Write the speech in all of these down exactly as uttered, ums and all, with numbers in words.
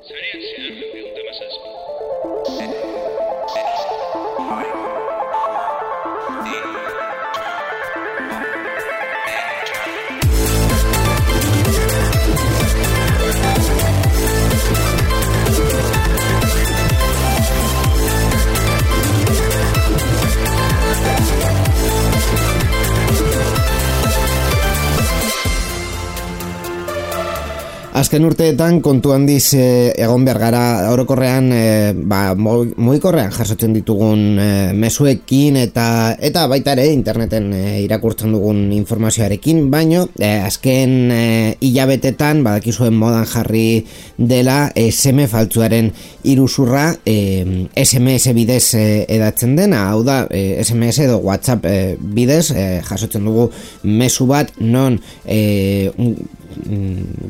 Zareak zehar laurehun eta hamazazpi. Azken urteetan kontu handiz e, egon behar gara orokorrean e, ba, mugikorrean jasotzen ditugun e, mezuekin eta eta baita ere interneten e, irakurtzen dugun informazioarekin, baino e, azken e, hilabetetan badakizuen modan jarri dela S M faltsuaren iruzurra e, S M S bidez e, edatzen dena, hau da e, S M S edo WhatsApp e, bidez e, jasotzen dugu mezu bat non e,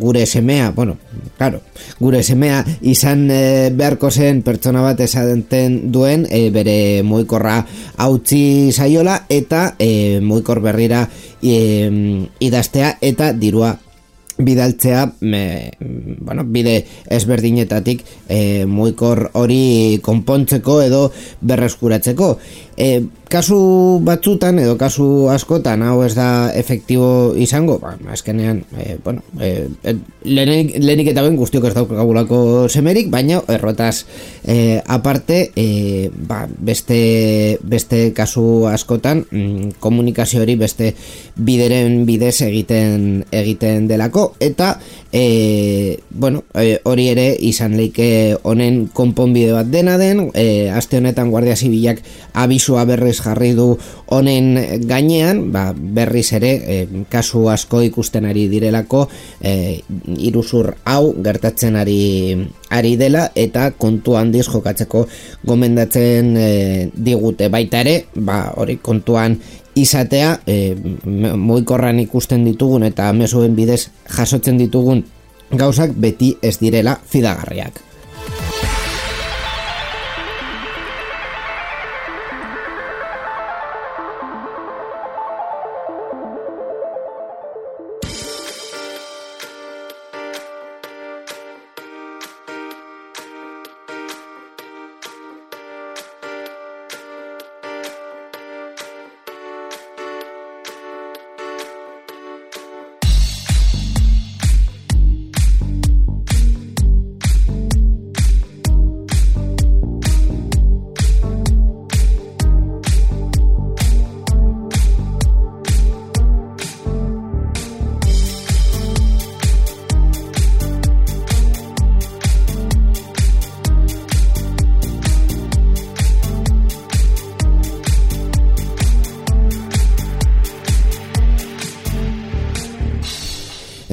gure semea, bueno, claro, gure semea izan e, beharko zen pertsona bat esaten duen e, bere mugikorra hautsi saiola eta e, mugikor berrira e, idaztea eta dirua bidaltzea me, bueno, bide ezberdinetatik e, mugikor hori konpontzeko edo berreskuratzeko. E, kasu batzutan edo kasu askotan hau ez da efektibo izango, ba, azkenean e, bueno, e, lehenik, lehenik eta ben guztiok ez daukagulako semerik, baina errotaz e, aparte e, ba, beste, beste kasu askotan mm, komunikazio hori beste bideren bidez egiten egiten delako eta e, bueno, e, hori ere izan leike honen konponbide bat dena den, e, aste honetan Guardia Zibilak abisua berriz jarri du honen gainean, ba, berriz ere e, kasu asko ikusten ari direlako e, iruzur hau gertatzen ari ari dela eta kontu handiz jokatzeko gomendatzen e, digute baita ere, ba, hori kontuan izatea e, mugikorran ikusten ditugun eta mezuen bidez jasotzen ditugun gauzak beti ez direla fidagarriak.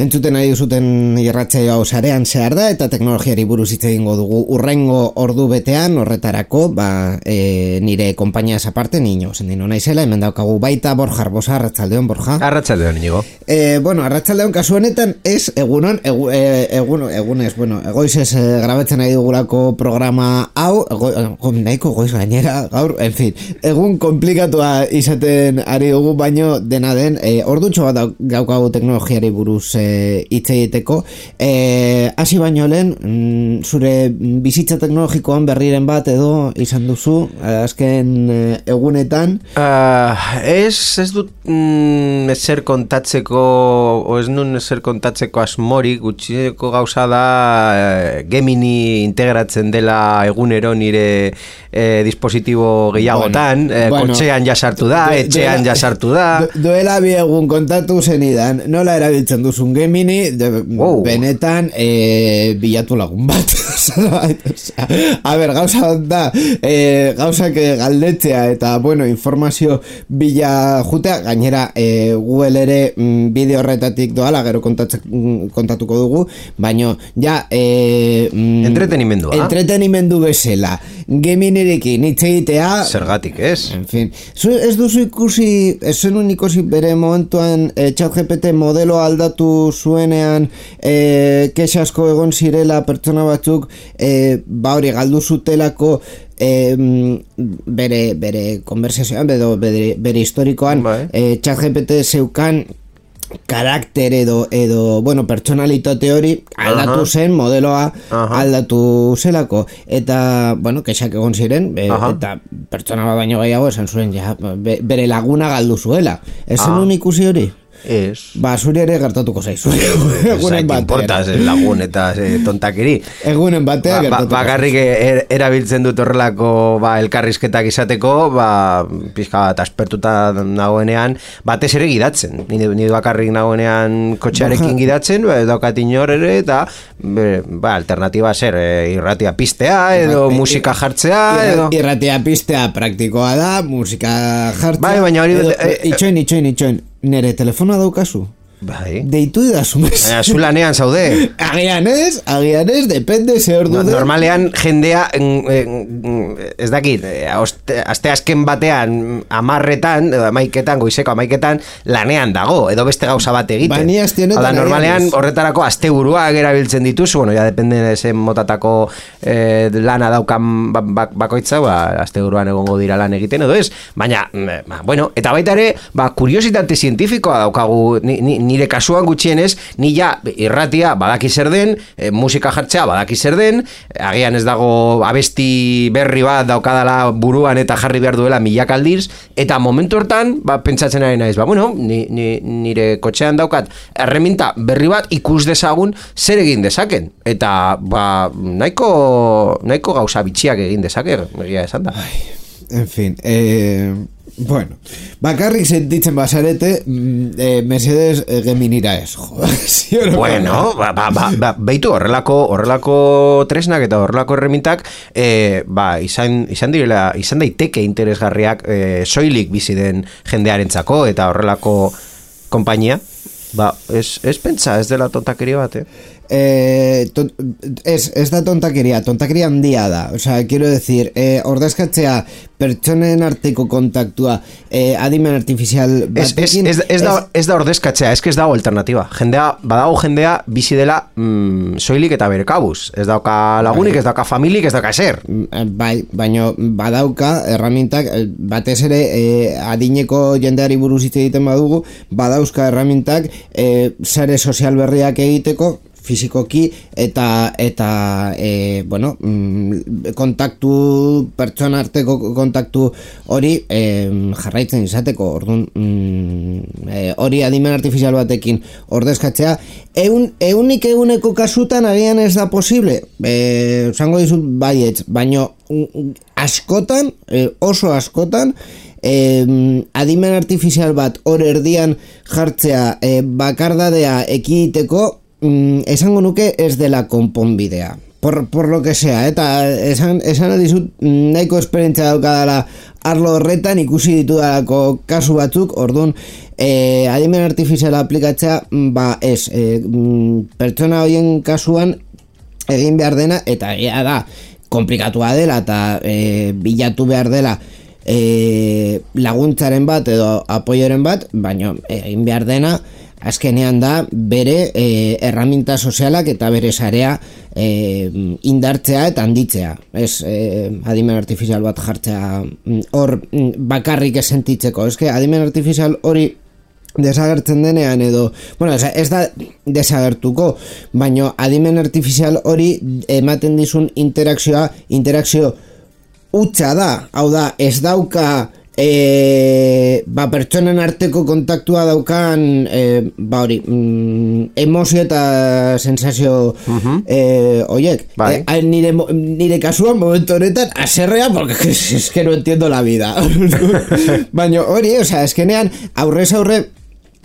Entzuten nahi duzuten irratsaio hau sarean zehar da eta teknologiari buruz hitz egingo dugu urrengo ordu betean horretarako, ba, e, nire konpainiaz aparte niño, sendino naizela, hemen daukagu baita Borja Arbosa, arratsaldeon Borja. Arratsaldeon Inigo. Eh, bueno, arratsaldeon kasu honetan ez egunon, egu, e, egun, egunez, bueno, egoizez e, grabatzen nahi dugulako programa hau, ego, ego, nahiko goiz gainera, gaur, en fin, egun komplikatua izaten ari dugu, baino dena den, e, ordutxo bat daukagu teknologiari buruz e, hitz egiteko. Eh, hasi baino lehen, mm, zure bizitza teknologikoan berriren bat edo izan duzu azken eh, egunetan? Uh, ez, ez dut mm, ezer kontatzeko o ez nun ezer kontatzeko asmorik, gutxineko gauza da eh, Gemini integratzen dela egunero nire eh, dispositibo gehiagotan, bueno, eh, bueno, kotxean jasartu da, de, etxean de, jasartu da. Duela bi egun kontatu zenidan, nola erabiltzen duzun Gemini, de, wow. Benetan e, bilatu lagun bat. A ber, gauza da, e, gauzak galdetzea eta, bueno, informazio bila jutea, gainera e, Google ere mm, bideo horretatik doala, gero mm, kontatuko dugu, baino, ja, e, mm, entretenimendua. Entretenimendu bezala. Geminirekin hitz egitea. Zergatik, ez? En fin. Zu, ez duzu ikusi, ez zenun ikusi bere momentuan e, ChatGPT modelo aldatu zuenean e, kexasko egon zirela pertsona batzuk e, ba hori galdu zutelako e, bere, bere konversazioan, bere, bere historikoan e, ChatGPT zeukan karakter edo, edo bueno, pertsonalitate hori aldatu Aha. zen, modeloa Aha. aldatu zelako. Eta, bueno, kexak egon ziren, e, eta pertsona bat baino gehiago esan zuen, ja, be, bere laguna galdu zuela. Ez Ah. zenun ikusi hori? Ez. Ba, zuri ere gertatuko zaizu. Egunen batean. Importa, ze lagun eta ze tontakeri. Egunen batean Ba, ba, gertatuko bakarrik er, erabiltzen dut horrelako ba, elkarrizketak izateko, ba, pixka bat aspertuta nagoenean, batez ere gidatzen. Ni, ni bakarrik nagoenean kotxearekin gidatzen, ba, daukat inor ere, eta be, ba, alternatiba zer, e, irratia pistea, edo Bai, musika jartzea, edo... Irratia pistea praktikoa da, musika jartzea. Bai, baina hori- edo, eh, eh, itxoin, itxoin, itxoin. Nere telefonoa daukazu? Bai. Deitu idazu mes. Baina zu lanean zaude. Agian ez, agian ez, depende ze ordu No, den. normalean jendea mm, mm, ez dakit, eh, oste- aste azken batean amarretan, edo amaiketan, goizeko amaiketan lanean dago, edo beste gauza bat egiten. Ba, ni aste honetan Hau da, normalean agian ez. horretarako asteburuak erabiltzen dituzu, bueno, ja depende zen motatako eh, lana daukan ba- ba- bakoitza, ba, asteburuan egongo dira lan egiten edo ez, baina, mm, ba, bueno, eta baita ere, ba, kuriositate zientifikoa daukagu, ni, ni, nire kasuan gutxienez, ni ja irratia badaki zer den, e, musika jartzea badaki zer den, agian ez dago abesti berri bat daukadala buruan eta jarri behar duela milak aldiz, eta momentu hortan, ba, pentsatzen ari naiz, ba, bueno, ni, ni, nire kotxean daukat erreminta berri bat ikus dezagun zer egin dezaken, eta ba, nahiko, nahiko gauza bitxiak egin dezake, egia esan da. En fin, eh, bueno, bakarrik sentitzen basarete, mm, eh, Mercedes eh, Geminira ez, jo. ¿Sí o no? Bueno, ba, ba, ba, ba, beitu horrelako horrelako tresnak eta horrelako erremintak eh, ba, izan, izan direla, izan daiteke interesgarriak eh, soilik bizi den jendearentzako eta horrelako konpainia, ba, ez, ez pentsa, ez dela tontakeria bat, eh? Eh, ton, ez, ez da tontakeria, tontakeria handia da. O sea, quiero decir, eh, ordezkatzea pertsonen arteko kontaktua eh, adimen artifizial Ez, ez, batekin... ez, ez, da, ez da ordezkatzea, ez que ez dago alternativa. Jendea, badago jendea bizi dela mm, soilik eta bere kabuz. Ez dauka lagunik, ez dauka familik, ez dauka ezer. Bai, baino badauka erramintak, eh, batez ere eh, adineko jendeari buruz hitz egiten badugu, badauzka erramintak eh, sare sozial berriak egiteko, fisikoki eta eta e, bueno, mm, kontaktu pertsona arteko kontaktu hori e, jarraitzen izateko. Orduan mm, e, hori adimen artifizial batekin ordezkatzea eun, eunik eguneko kasutan agian ez da posible, e, esango dizut baietz, baino mm, askotan, e, oso askotan e, adimen artifizial bat hor erdian jartzea e, bakardadea ekiditeko, Mm, esango nuke ez dela konponbidea. Por, por lo que sea, eta esan, esan dizut nahiko esperientzia daukadala arlo horretan, ikusi ditudalako kasu batzuk, orduan eh, adimen artifiziala aplikatzea, ba ez, eh, pertsona horien kasuan egin behar dena, eta ea da, komplikatua dela, eta eh, bilatu behar dela eh, laguntzaren bat edo apoioren bat, baina egin behar dena, azkenean da bere e, erraminta sozialak eta bere sarea e, indartzea eta handitzea. Ez e, adimen artifizial bat jartzea hor bakarrik ez sentitzeko. Ez que adimen artifizial hori desagertzen denean edo, bueno, ez da desagertuko, baino adimen artifizial hori ematen dizun interakzioa, interakzio hutsa da. Hau da, ez dauka E, ba, pertsonen arteko kontaktua daukan e, ba hori mm, emozio eta sensazio uh-huh. e, oiek bai. e, nire, nire kasuan momentu honetan aserrea porque es, es que no entiendo la vida baina hori, o sea, eskenean aurrez aurre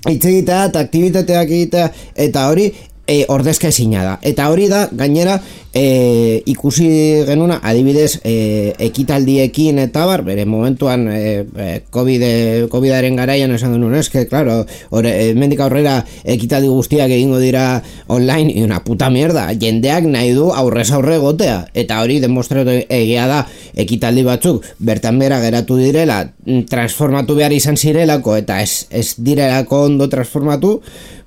hitz egitea eta aktibitateak egitea eta hori e, ordezka ezina da, eta hori da gainera e, ikusi genuna adibidez e, ekitaldiekin eta bar, bere momentuan e, COVID, COVIDaren garaian esan genuen, eske, claro, ore, mendik aurrera ekitaldi guztiak egingo dira online, y una puta mierda, jendeak nahi du aurrez aurre gotea, eta hori demostratu egia da, ekitaldi batzuk bertan bera geratu direla, transformatu behar izan zirelako, eta ez, ez direlako ondo transformatu,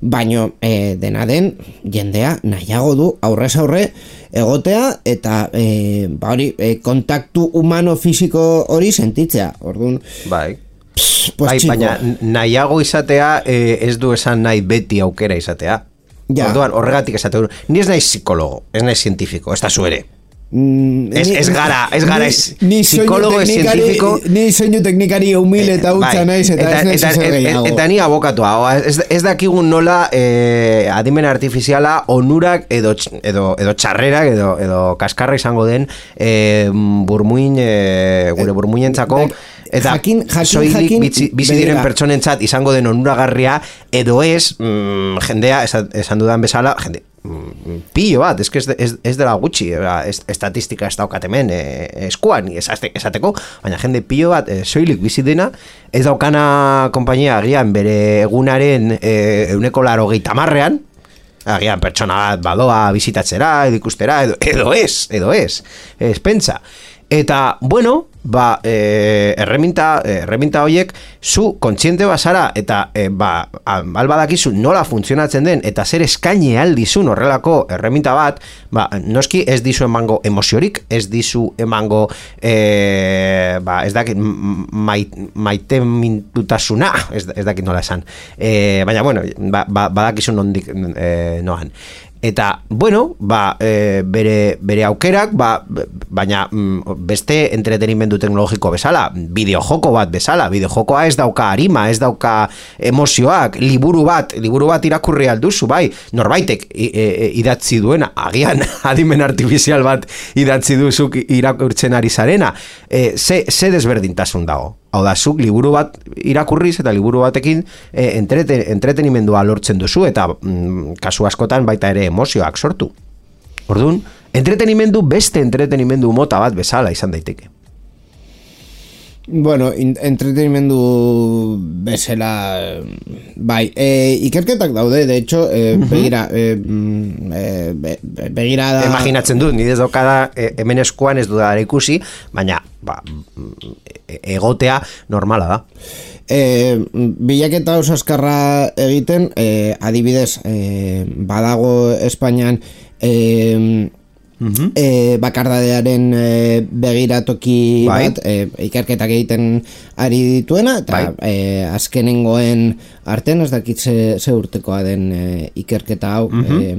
baino e, dena den jendea nahiago du aurrez aurre egotea eta e, ba hori, e, kontaktu humano fisiko hori sentitzea. Orduan, bai. pues, pues bai, txiko. baina nahiago izatea eh, ez du esan nahi beti aukera izatea. Ja. Orduan, horregatik esate. Ni ez naiz psikologo, ez naiz zientifiko, ez da zu ere. Mm, Ez, ni- ez gara, ez gara, ez ni soinu psikologo, ez teknikari- zientifiko. Ni soinu teknikari humil eta hutsa Bai, naiz, eta ez naiz eta, ezer eta, gehiago. eta ni abokatua, ez, ez dakigun nola eh, adimen artifiziala onurak edo, tx- edo, edo txarrerak edo, edo kaskarra izango den eh, burmuin, eh, gure burmuinentzako, eta Jakin- jakin- soilik jakin- bizi, bizi diren begira. pertsonentzat izango den onuragarria, edo ez, mm, jendea, esan, esan dudan bezala, jende, mm, pillo bat, ez, ez, ez, ez dela gutxi, ez, estatistika ez daukat hemen eh, eskuan esate, esateko, baina jende pillo bat eh, soilik bizi dena, ez daukana konpainia agian bere egunaren eh, euneko laro geitamarrean, agian pertsona bat badoa bizitatzera, edo ikustera, edo, edo ez, edo ez, ez pentsa. Eta, bueno, ba, eh, erreminta, erreminta horiek, zu kontziente bazara, eta eh, ba, albadakizu nola funtzionatzen den, eta zer eskaini aldizun horrelako erreminta bat, ba, noski ez dizu emango emoziorik, ez dizu emango, eh, ba, ez dakit, mait, maite mintutasuna, ez, ez dakit nola esan. Eh, baina, bueno, ba, ba, badakizu nondik eh, noan. Eta, bueno, ba, e, bere, bere aukerak, ba, baina mm, beste entretenimendu teknologiko bezala, bideojoko bat bezala, bideojokoa ez dauka arima, ez dauka emozioak, liburu bat, liburu bat irakurri alduzu, bai, norbaitek e, e, idatzi duena, agian adimen artifizial bat idatzi duzuk irakurtzen ari zarena, e, ze, ze desberdintasun dago. Hau da, zuk liburu bat irakurriz eta liburu batekin e, entreten, entretenimendua lortzen duzu eta mm, kasu askotan baita ere emozioak sortu. Orduan, entretenimendu beste entretenimendu mota bat bezala izan daiteke. Bueno, in, entretenimendu bezala, bai, e, ikerketak daude, de hecho, e, uh-huh. begira, e, e, be, begira da... Imaginatzen dut, nire daukada e, hemen eskuan ez dudara ikusi, baina ba, egotea normala da. E, bilaketa oso azkarra egiten, e, adibidez, e, badago Espainian... E, Uh-huh. E, bakardadearen e, begiratoki bai. bat e, ikerketak egiten ari dituena eta bai. e, azkenengoen artean ez dakit ze, ze urtekoa den e, ikerketa hau uh-huh. e,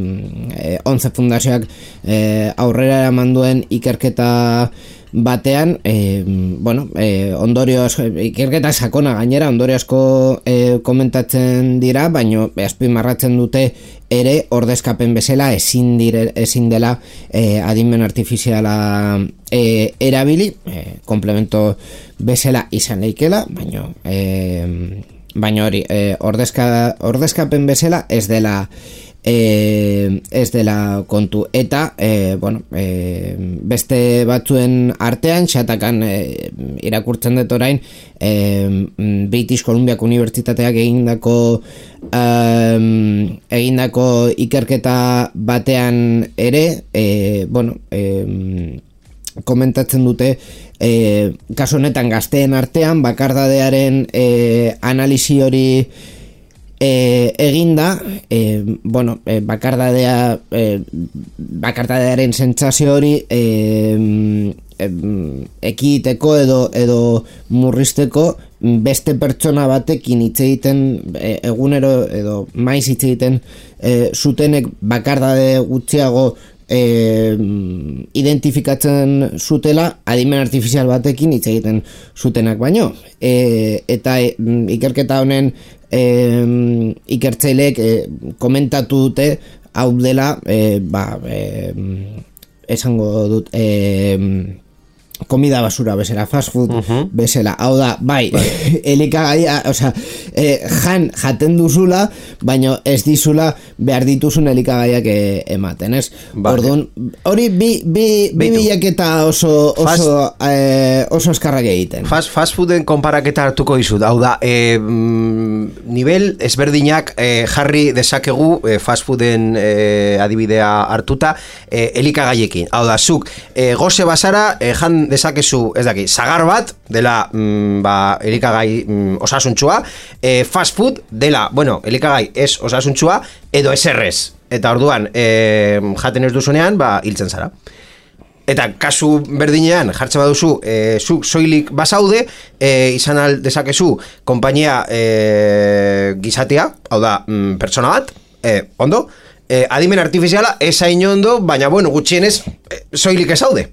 e, Onze Fundazioak e, aurrera eraman duen ikerketa batean e, bueno, e, ondorio asko, ikerketa sakona gainera ondorio asko e, komentatzen dira, baino azpimarratzen dute ere ordezkapen bezala ezin dire, ezin dela e, adimen artifiziala e, erabili, e, komplemento bezala izan leikela, baino e, baino hori e, ordezka, ordezkapen bezala ez dela E, ez dela kontu eta e, bueno, e, beste batzuen artean xatakan e, irakurtzen dut orain e, British Columbiako Unibertsitateak egindako um, egindako ikerketa batean ere e, bueno e, komentatzen dute e, kasu honetan gazteen artean bakardadearen e, analisi hori E, eginda, e, bueno, e, bakardadea e, bakardadearen sentsazio hori e, e, ekiteko edo edo murrizteko beste pertsona batekin hitz egiten e, egunero edo maiz hitz egiten e, zutenek bakardade gutxiago e, identifikatzen zutela adimen artifizial batekin hitz egiten zutenak baino e, eta e, ikerketa honen E, ikertzaileek e, komentatu dute hau dela e, ba, e, esango dut e, komida basura bezala, fast food uh-huh. bezala, hau da, bai, bai. elikagaia, osea, e, jan jaten duzula, baina ez dizula behar dituzun elikagaiak e, ematen, ez? Vale. Orduan, hori bi, bi, bi bilaketa oso oso, fast, e, oso eskarrak egiten. Fast, fast fooden konparaketa hartuko dizut, hau da, e, nivel ezberdinak e, jarri dezakegu e, fast fooden e, adibidea hartuta e, elikagaiekin, hau da, zuk, e, goze basara, e, jan dezakezu, ez daki, sagar bat dela mm, ba, elikagai mm, osasuntsua, e, fast food dela, bueno, elikagai ez osasuntsua edo eserrez, eta orduan e, jaten ez duzunean, ba, hiltzen zara. Eta kasu berdinean jartzen baduzu, e, zu soilik bazaude, e, izan al dezakezu konpainia e, gizatea, hau da, mm, pertsona bat, e, ondo, e, adimen artifiziala esain ondo, baina bueno, gutxienez e, soilik ezaude.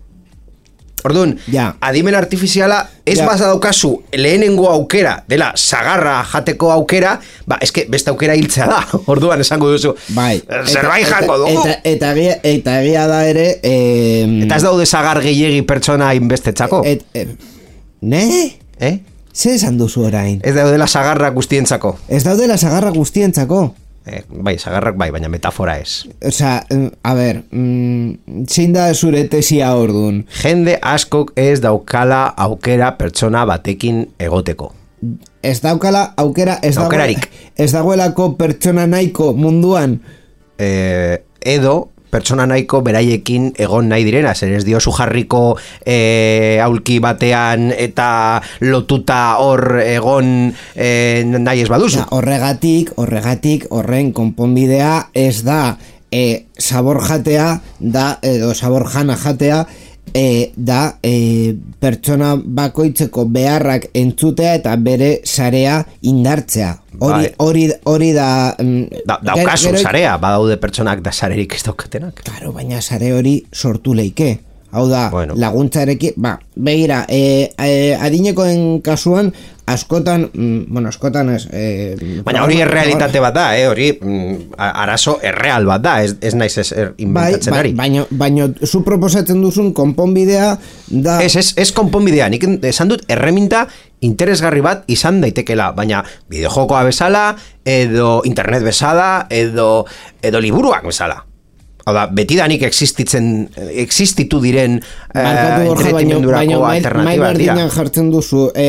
Orduan, ja. adimen artifiziala ez ja. baza daukazu lehenengo aukera dela sagarra jateko aukera, ba, eske beste aukera hiltzea da. Orduan esango duzu. Bai. Zerbait jango dugu. Eta eta egia eta egia da ere, eh, eta ez daude sagar gehiegi pertsona inbestetzako. Et, et, ne? Eh? Ze esan duzu orain? Ez daudela sagarra guztientzako. Ez daudela sagarra guztientzako. Eh, bai, sagarrak bai, baina metafora ez. Osea, a ber, mm, zein da zure tesia ordun? Jende askok ez daukala aukera pertsona batekin egoteko. Ez daukala aukera, ez Aukerarik. dago, ez dagoelako pertsona nahiko munduan. Eh, edo pertsona nahiko beraiekin egon nahi direna, zer ez diozu jarriko e, aulki batean eta lotuta hor egon e, nahi ez baduzu. Ja, horregatik, horregatik, horren konponbidea ez da e, sabor jatea, da, edo sabor jana jatea, e, da e, pertsona bakoitzeko beharrak entzutea eta bere sarea indartzea. Hori, Bai. hori, hori da... mm, Da, daukazu gero- sarea, badaude pertsonak da sarerik ez daukatenak. Claro, baina sare hori sortu leike. Hau da, Bueno. laguntzarekin, ba, begira, e, e, adinekoen kasuan, askotan, mm, bueno, askotan ez... E, Baina hori errealitate bat da, eh? Hori mm, a- arazo erreal bat da, ez, ez naiz ez er, Bai, inventatzen bai, ari. baina, baina zu proposatzen duzun konponbidea da... Ez, ez, ez konponbidea, nik esan dut erreminta interesgarri bat izan daitekela, baina bideojokoa bezala, edo internet bezala, edo, edo liburuak bezala. Hau da, betidanik existitzen, existitu diren eh, Barkatu, Borja, baino, entretenimendurako baino mai, mai alternatibak dira. berdinean jartzen duzu e,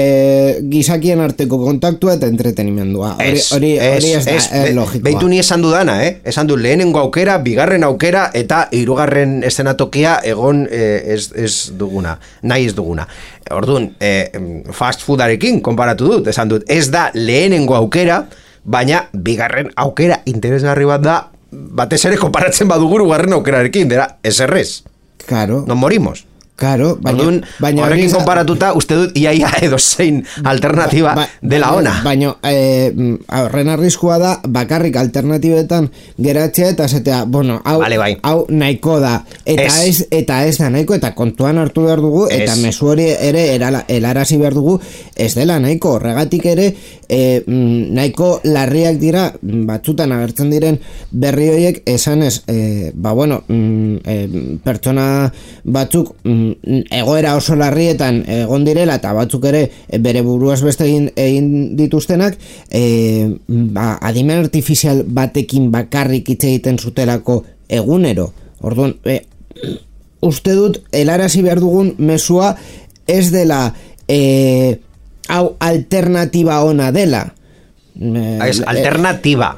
gizakien arteko kontaktua eta entretenimendua. Hori, Ez, hori, hori ez da ez, ez be- logikoa. Beitu ni esan dudana, eh? Esan du lehenengo aukera, bigarren aukera eta hirugarren eszenatokia egon eh, ez, ez duguna, nahi ez duguna. Orduan, eh, fast foodarekin konparatu dut, esan dut, ez da lehenengo aukera, baina bigarren aukera interesgarri bat da, batez ere konparatzen badugu garren aukerarekin, dera, ez errez. Claro, Non morimos. claro, baina, Orduan, baina horrekin hori- konparatuta, uste dut iaia edo zein alternatiba Ba- ba- dela ona. Baina eh, horren arriskua da bakarrik alternatibetan geratzea eta esatea, bueno, hau, Vale, bai. hau nahiko da eta Ez. ez. eta ez da nahiko eta kontuan hartu behar dugu eta Ez. mezu hori ere erala, helarazi behar dugu ez dela nahiko, horregatik ere eh, mm, nahiko larriak dira batzutan agertzen diren berri horiek esanez, eh, ba bueno mm, eh, pertsona batzuk mm, egoera oso larrietan egon direla eta batzuk ere e, bere buruaz beste egin, egin dituztenak e, ba, adimen artifizial batekin bakarrik hitz egiten zutelako egunero. Orduan, e, uste dut helarazi behar dugun mezua ez dela e, hau alternatiba ona dela. E, Ez, alternativa.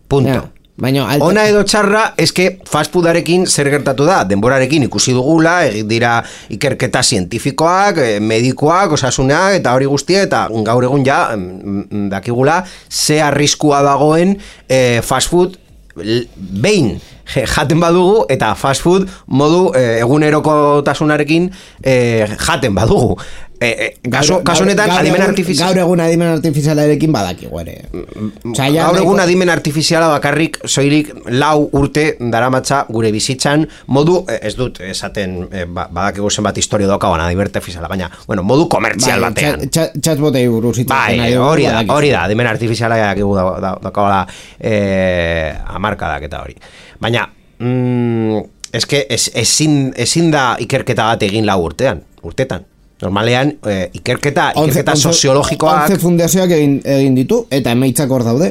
Punto. ja, baina alter- Ona edo txarra, eske fast foodarekin zer gertatu da, denborarekin ikusi dugula, egin dira ikerketa zientifikoak, eh, medikoak, osasunak, eta hori guztia, eta gaur egun ja, mm, dakigula, ze arriskua dagoen eh, fast food l- behin je- jaten badugu, eta fast food modu eh, egunerokotasunarekin eh, jaten badugu. Eh, eh, kaso, kaso honetan, gaur adimen egun- artifizial... Gaur egun adimen artifizialarekin badakigu ere. Osea, ja Gaur nahiko- egun adimen artifiziala bakarrik soilik lau urte daramatza gure bizitzan modu, eh, ez dut esaten eh, ba- badakigu zenbat historia daukaban adimen artifiziala, baina, bueno, modu komertzial Bai, batean. txat- txat- Txatbotei buruz hitz egiten Bai, ari dugu, hori da, badakizu. hori da, adimen artifiziala dakigu da, da, daukabala eh, amarkadak eta hori. Baina, mm, eske ez, ezin, ezin da ikerketa bat egin lau urtean, urtetan. Normalean, eh, ikerketa, ikerketa Once- soziologikoak... Once fundazioak egin, egin ditu, eta emaitzak hor daude.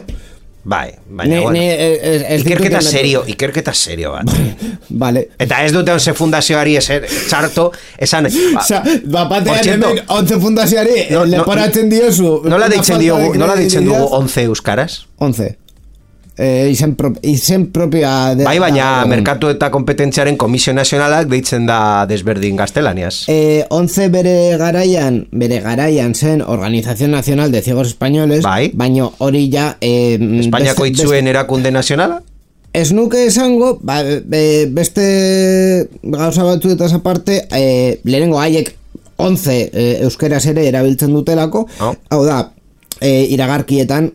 Bai, baina, Ne- bueno, ne- ez- ez ikerketa ditut- serio, ikerketa serio bat. Vale. Eta ez dute onze fundazioari eser, txarto, esan... Ba, Osa, bapatean por cierto, hemen once fundazioari no- no- leporatzen diozu. nola una deitzen falta diogu, de nola deitzen dugu credibilidad. once euskaraz? Once. Eh, izen, pro, izen propia... De, Bai, baina da- Merkatu eta Kompetentziaren Komisio Nazionalak deitzen da desberdin gaztelaniaz. Eh, once bere garaian, bere garaian zen Organización Nacional de Ciegos Españoles, Bai. baino hori ja... Eh, Espainiako beste- itzuen erakunde nazionala? ez nuke esango, ba, be, beste gauza batzuetaz aparte, e, lehenengo haiek onze e, euskeraz ere erabiltzen dutelako, oh. hau da, E, iragarkietan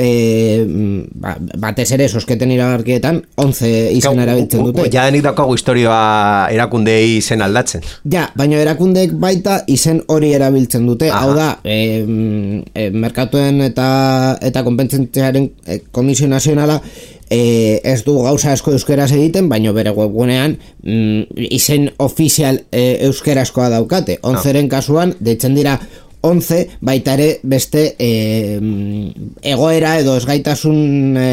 e, ba, batez ere sosketen iragarkietan onze izen erabiltzen dute. Ja denik daukagu historioa erakundei izen aldatzen. Ja, baina erakundeek baita izen hori erabiltzen dute. Aha. Hau da, e, e, merkatuen eta eta konpentsentziaren e, Komisio Nazionala e, ez du gauza asko euskeraz egiten, baina bere webgunean mm, izen ofizial e, euskarazkoa daukate. Onzeren ah. kasuan, deitzen dira onze, baita ere beste e, egoera edo ezgaitasun e,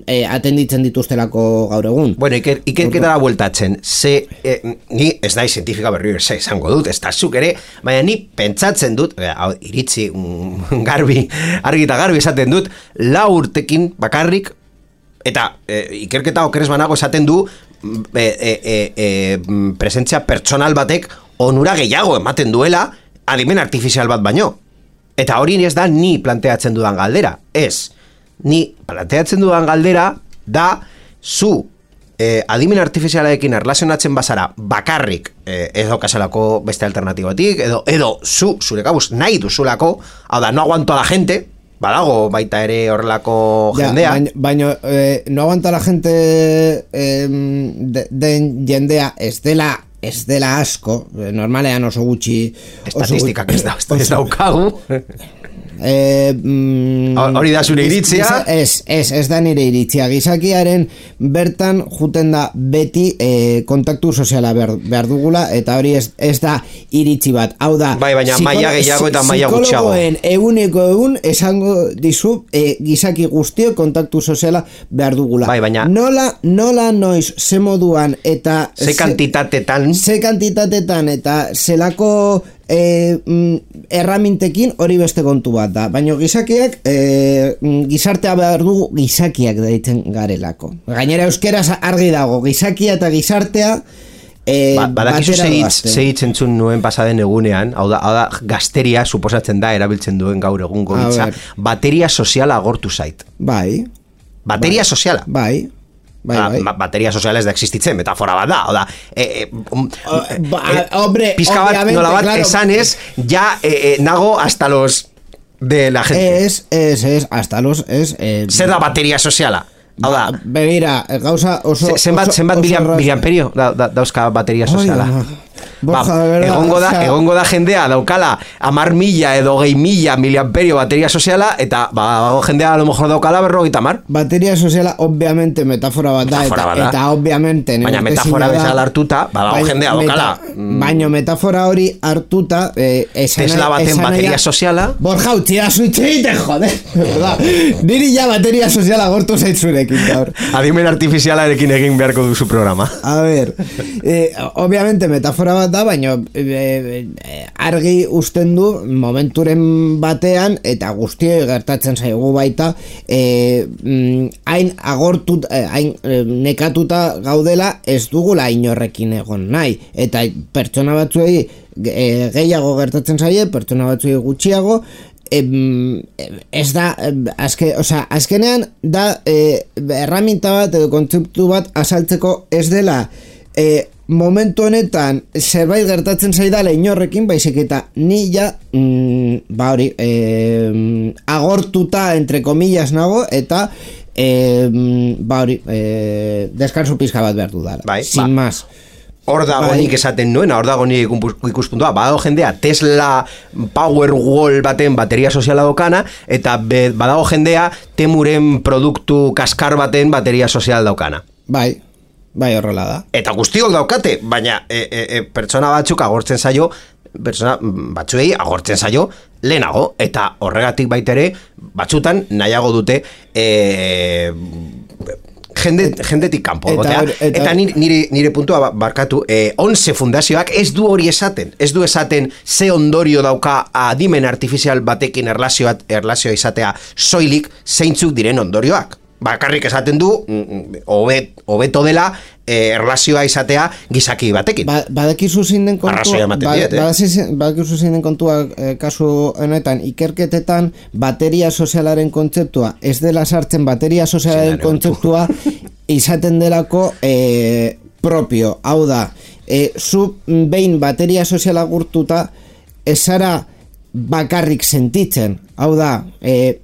e, atenditzen dituztelako gaur egun. Bueno, iker, ikerketara bueltatzen, ze, e, ni ez da zientifika berri ze esango dut, ez da zuk ere, baina ni pentsatzen dut, e, iritzi mm, garbi, argi eta garbi esaten dut, lau urtekin bakarrik, eta e, ikerketa okeres banago esaten du, e, e, e, e, presentzia pertsonal batek onura gehiago ematen duela, adimen artifizial bat baino. Eta hori ez da ni planteatzen dudan galdera. Ez, ni planteatzen dudan galdera da zu eh, adimen artifizialarekin erlazionatzen bazara bakarrik eh, ez daukazelako beste alternatibatik, edo, edo zu, zure kabuz, nahi duzulako, hau da, no aguanto a la gente, badago baita ere horrelako ja, jendea. Baina, baina eh, no aguanta la gente eh, de, den jendea ez dela ez dela asko, normalean oso gutxi estatistikak ez da, ez daukagu Eh, mm, hori da zure iritzia? Ez, ez, ez da nire iritzia. Gizakiaren bertan juten da beti eh, kontaktu soziala behar, behar dugula, eta hori ez, ez da iritzi bat. Hau da, bai, baina maila gehiago eta maila gutxiago. Psikologoen eguneko egun esango dizu eh, gizaki guztio kontaktu soziala behar dugula. Bai, baina nola, nola noiz, ze moduan eta ze kantitatetan ze kantitatetan eta zelako E, mm, erramintekin hori beste kontu bat da, baina gizakiak e, gizartea behar dugu gizakiak deitzen garelako. Gainera euskeraz argi dago, gizakia eta gizartea e, ba, badakizu zehitzen zuen nuen pasaden egunean, hau da, hau da gazteria suposatzen da erabiltzen duen gaur egungo hitza, bateria soziala agortu zait. Bai. Bateria bai. soziala. Bai. Bai, bai. Ba, bateria soziales da existitzen, metafora bat da, oda, e, e, um, ba, e, hombre, pizka bat, nola bat, claro. Esan ez, ja e, e, nago hasta los de la gente. Es, es, es, hasta los, es... Eh, zer da bateria soziala? Hau da, ba, begira, gauza oso... Zenbat, zenbat miliamperio da, da, dauzka bateria soziala? Ba, egongo da, egongo da jendea daukala amar mila edo gehi mila miliamperio bateria soziala, eta ba, jendea a lo mejor daukala berrogeita mar. Bateria soziala obviamente metafora bat da, metafora eta, bat da. Eta obviamente baina metafora bezala hartuta, badago jendea daukala meta, baina metafora hori hartuta eh, esana, Tesla baten bateria ya, soziala Borja, utxia zuitzeite, joder niri ja bateria soziala gortu zaitzurekin gaur. Adimen artifizialarekin egin beharko duzu programa. A ver, eh, obviamente metafora bat da, baina e, e, argi usten du momenturen batean eta guztioi gertatzen zaigu baita e, hain agortut hain e, nekatuta gaudela ez dugula inorrekin egon nahi, eta pertsona batzuei e, gehiago gertatzen zaie, pertsona batzuei gutxiago. Em, ez da azke, oza, azkenean da e, erraminta bat edo kontzeptu bat azaltzeko ez dela e, momentu honetan zerbait gertatzen zaidala inorrekin, baizik eta ni ja mm, ba hori e, agortuta entre comillas nago, eta e, ba hori e, deskanso pizka bat behar dudala, bai, sin ba. más. Hor dago nik esaten nuena, hor dago nik ikuspuntua, badago jendea Tesla Powerwall baten bateria soziala daukana, eta be, badago jendea Temuren produktu kaskar baten bateria sozial daukana. Bai, bai horrela da. Eta guztiok daukate, baina e, e, e, pertsona batzuk agortzen zaio, pertsona batzuei agortzen zaio lehenago, eta horregatik baitere batzutan nahiago dute e, Jende, jendetik kanpo eta, eta, eta nire, nire puntua barkatu eh, onze fundazioak ez du hori esaten ez du esaten ze ondorio dauka adimen artifizial batekin erlazioa, erlazioa izatea soilik zeintzuk diren ondorioak. bakarrik esaten du hobet hobeto dela eh, erlazioa izatea gizaki batekin. Ba, badakizu zein den kontua, Arrazoia ematen diet, eh? ba, badakizu zein den kontua eh, kasu honetan, ikerketetan bateria sozialaren kontzeptua ez dela sartzen, bateria sozialaren kontzeptua izaten delako eh, propio, hau da, eh, zu behin bateria soziala gurtuta ez zara bakarrik sentitzen, hau da, e,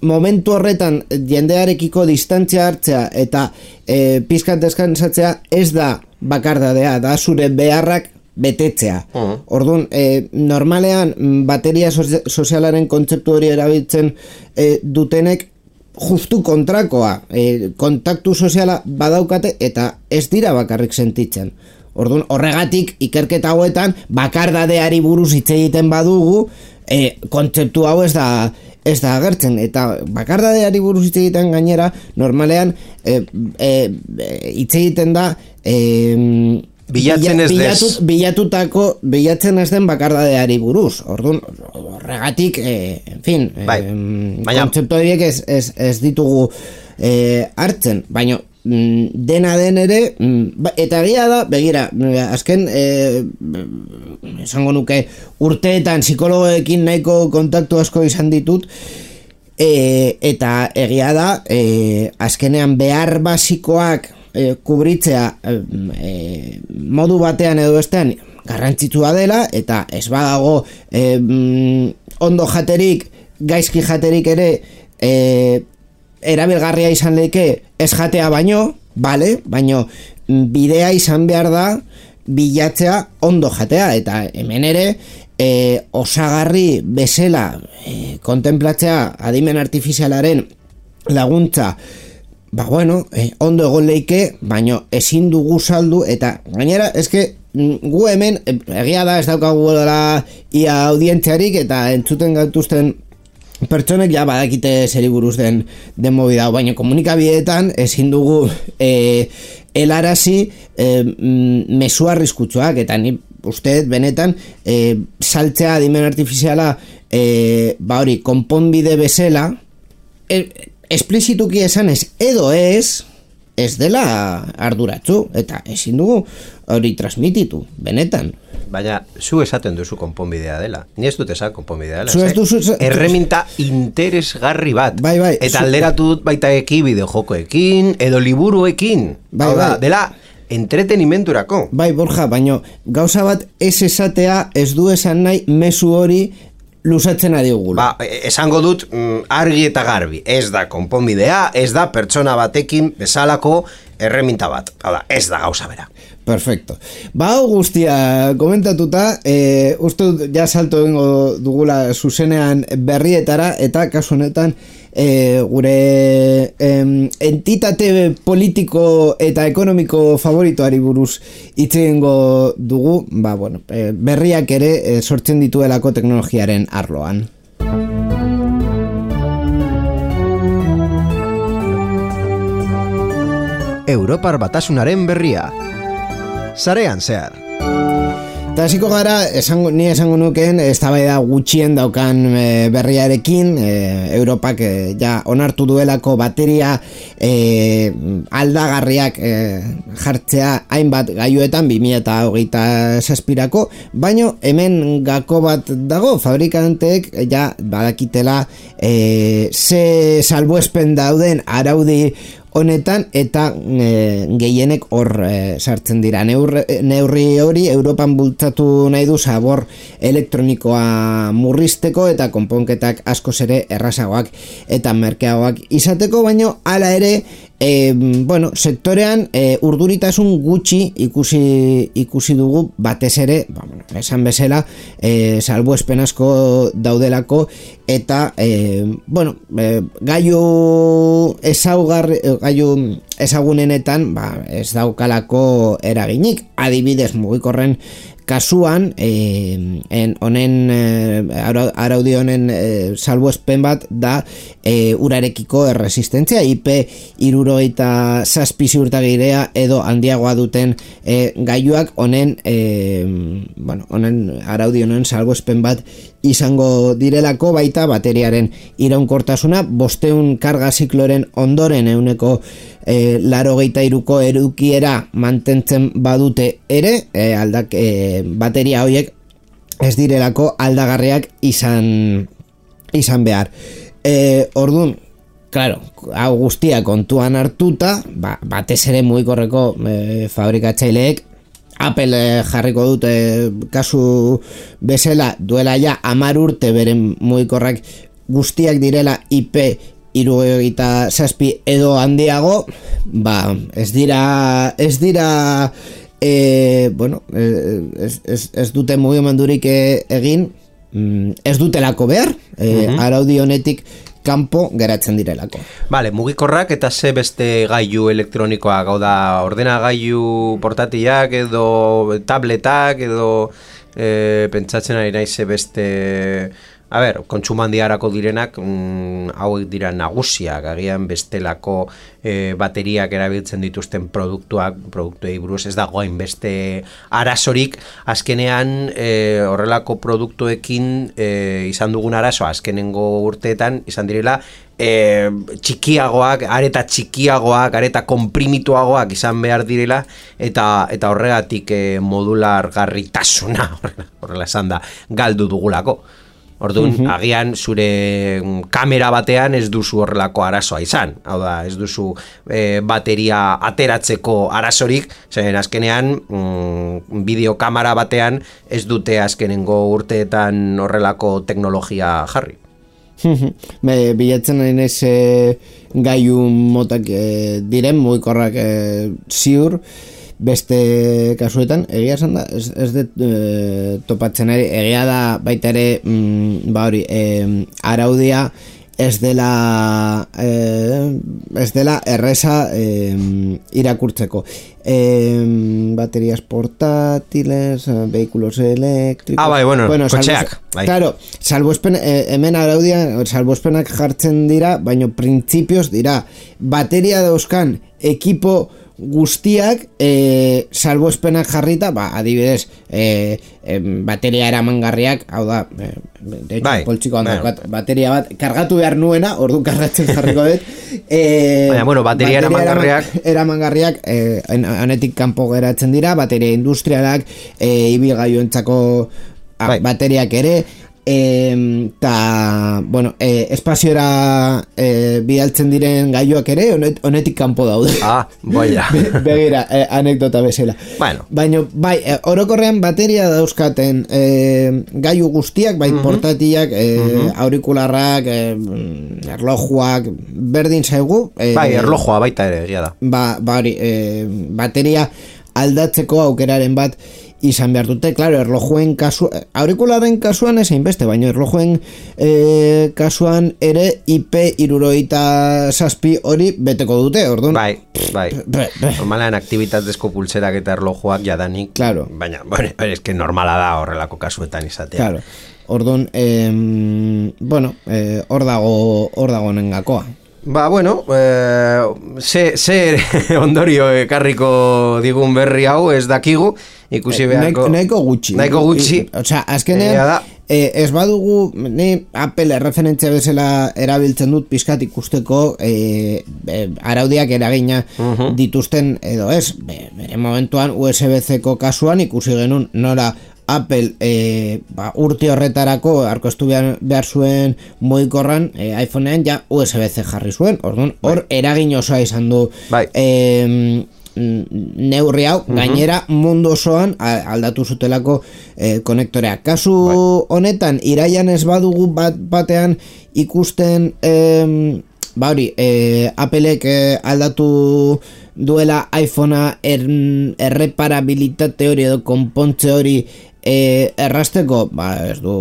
momentu horretan jendearekiko distantzia hartzea eta e, pizkat deskansatzea ez da bakardadea, da zure beharrak betetzea. Uh-huh. Orduan, e, normalean bateria sozialaren kontzeptu hori erabiltzen e, dutenek justu kontrakoa, e, kontaktu soziala badaukate eta ez dira bakarrik sentitzen. Orduan, horregatik ikerketa hauetan bakardadeari buruz hitz egiten badugu, e, kontzeptu hau ez da ez da agertzen, eta bakardadeari buruz hitz egiten gainera normalean e, e, hitz egiten da e, bilatzen ez bilatu, bilatutako bilatzen ez den bakardadeari buruz. Orduan, horregatik e, en fin, bai. e, kontzeptu horiek ez, ez, ez ditugu e, hartzen, baina dena den ere, eta egia da, begira, azken eh, esango nuke urteetan psikologoekin nahiko kontaktu asko izan ditut, eh, eta egia da, eh, azkenean behar basikoak eh, kubritzea eh, modu batean edo bestean garrantzitsua dela, eta ez badago eh, ondo jaterik, gaizki jaterik ere eh, erabilgarria izan leke ez jatea baino, vale, baino bidea izan behar da bilatzea ondo jatea, eta hemen ere e, osagarri bezala e, kontemplatzea adimen artifizialaren laguntza, ba bueno, e, ondo egon leike, baino ezin dugu saldu, eta gainera, eske gu hemen, egia da ez daukagu dela ia audientziarik, eta entzuten gaituzten pertsonek ja badakite zeri buruz den den movida, baina komunikabideetan ezin dugu e, helarazi e, mezu arriskutsuak, eta ni uste benetan e, saltzea adimen artifiziala e, ba hori konponbide bezala e, esplizituki esanez edo ez ez dela arduratzu, eta ezin dugu hori transmititu, benetan. Baina, zu esaten duzu konponbidea dela. Ni ez dut esan konponbidea dela. Zu ez duzu... Erreminta interesgarri bat. Bai, bai. Eta alderatu dut baita eki bideojokoekin, edo liburuekin. Bai, Hau da, bai. dela entretenimenturako. Bai, Borja, baina gauza bat ez esatea ez du esan nahi mezu hori luzatzen adigula. Ba, esango dut mm, argi eta garbi. Ez da konponbidea, ez da pertsona batekin bezalako erreminta bat. Hala, ez da gauza bera. Perfecto. Ba, hau guztia komentatuta, e, uste dut ja salto egingo dugula zuzenean berrietara, eta kasu honetan e, gure em, entitate politiko eta ekonomiko favoritoari buruz hitz egingo dugu, ba, bueno, e, berriak ere e, sortzen dituelako teknologiaren arloan. Europar Batasunaren berria. Sarean zehar. Eta hasiko gara, esango, ni esango nukeen, eztabaida gutxien daukan e, berriarekin, e, Europak e, ja onartu duelako bateria e, aldagarriak e, jartzea hainbat gailuetan bi mila hogeita zazpirako, baino hemen gako bat dago, fabrikanteek ja badakitela e, ze salbuespen dauden araudi honetan, eta e, gehienek hor e, sartzen dira. Neur, neurri hori Europan bultzatu nahi du zabor elektronikoa murrizteko eta konponketak askoz ere errazagoak eta merkeagoak izateko, baino hala ere e, bueno, sektorean e, urduritasun gutxi ikusi ikusi dugu, batez ere, ba, bueno, esan bezala e, salbuespen asko daudelako, eta e, bueno, e, gailu ezaugarri gailu ezagunenetan ba, ez daukalako eraginik, adibidez mugikorren kasuan eh, en, honen eh, araudi honen eh, salbuespen bat da eh, urarekiko erresistentzia I P hirurogeita zazpi ziurtagirea edo handiagoa duten eh, gailuak honen eh, bueno, honen araudi honen salbuespen bat izango direlako, baita bateriaren iraunkortasuna bosteun karga zikloren ondoren euneko e, larogeita iruko edukiera mantentzen badute ere, e, aldak, e, bateria horiek ez direlako aldagarriak izan izan behar. E, orduan, claro, hau guztia kontuan hartuta, ba, batez ere mugikorreko e, fabrikatzaileek Apple eh, jarriko dute kasu bezala duela ja hamar urte beren mugikorrak guztiak direla I P hirurogeita zazpi edo handiago, ba, ez dira ez dira e, bueno, ez, ez, ez dute mugimendurik egin, ez dutelako behar, e, uh-huh. araudi honetik kanpo geratzen direlako. Vale, mugikorrak eta ze beste gailu elektronikoak, hau da, ordenagailu portatilak edo tabletak edo e, pentsatzen ari naiz ze beste, a ber, kontsumandiarako direnak mm, hauek dira nagusiak, agian bestelako e, bateriak erabiltzen dituzten produktuak, produktuei buruz ez dagoen beste arazorik, azkenean e, horrelako produktuekin e, izan dugun arazoa, azkenengo urteetan izan direla e, txikiagoak, areta txikiagoak, areta konprimituagoak izan behar direla, eta eta horregatik e, modular garritasuna, horrela esan da, galdu dugulako. Orduan, uh-huh. agian zure kamera batean ez duzu horrelako arazoa izan. Hau da, ez duzu e, bateria ateratzeko arazorik, zen azkenean mm, bideokamera batean ez dute azkenengo urteetan horrelako teknologia jarri. Be, bilatzen nahi naiz e, gailu motak e, diren, mugikorrak e, ziur, beste kasuetan, egia esan da, ez, ez dut e, topatzen ere, egia da baita ere, mm, ba hori, e, araudia ez dela e, ez dela erreza e, irakurtzeko. E, baterias portátiles, vehículos eléctricos... Ah, bai, bueno, bueno kotxeak. Salvo, bai. Claro, salvospen, e, hemen araudia, salvospenak jartzen dira, baino printzipioz dira, bateria dauzkan ekipo guztiak e, salbuespenak jarrita, ba, adibidez e, e, bateria eramangarriak, hau da e, de hecho, bai, poltsiko handak bat, bateria bat kargatu behar nuena, ordu kargatzen jarriko dut e, baina, bueno, bateria, bateria eramangarriak eramangarriak e, honetik kanpo geratzen dira, bateria industrialak e, ibilgailuentzako bai. bateriak ere eta bueno, e, espaziora e, bidaltzen diren gailuak ere honet, honetik kanpo daude. Ah, boia. Be, begira, e, anekdota bezala. Bueno. Baina, bai, e, orokorrean bateria dauzkaten e, gailu guztiak, bai, uh-huh. portatilak, e, uh-huh. aurikularrak, e, erlojuak, berdin zaigu. E, bai, erlojua baita ere, egia da. Ba, bari, e, bateria aldatzeko aukeraren bat izan behar dute, claro, erlojuen kasu, aurikularen kasuan ezein beste, baina erlojuen e, kasuan ere I P hirurogeita zazpi hori beteko dute, orduan. Bai, bai. Normalean aktivitatezko pulserak eta erlojuak jadanik, claro. Baina, bueno, es que normala da horrelako kasuetan izatea. Claro, orduan, eh, bueno, eh, hor dago, hor dago nengakoa. Ba, bueno, eh, ze, ze ondorio ekarriko digun berri hau ez dakigu, ikusi beharko... Nahiko gutxi. Nahiko gutxi. Osea, azkenean, eh, ez badugu, ni Apple referentzia bezala erabiltzen dut pizkat ikusteko eh, eh, araudiak eragina uh-huh. dituzten edo ez. Bere momentuan U S B C-ko kasuan ikusi genuen nora Apple e, ba, urte horretarako arkoztu behar, behar zuen mugikorran e, iPhonean ja U S B C jarri zuen, orduan hor eragin osoa izan du bai. e, neurri hau, uh-huh. gainera mundu osoan aldatu zutelako e, konektorea. Kasu bai. honetan iraian ez badugu bat, batean ikusten e, ba hori, e, Appleek e, aldatu duela iPhonea er, erreparabilitate hori edo konpontze hori e, errasteko, ba ez du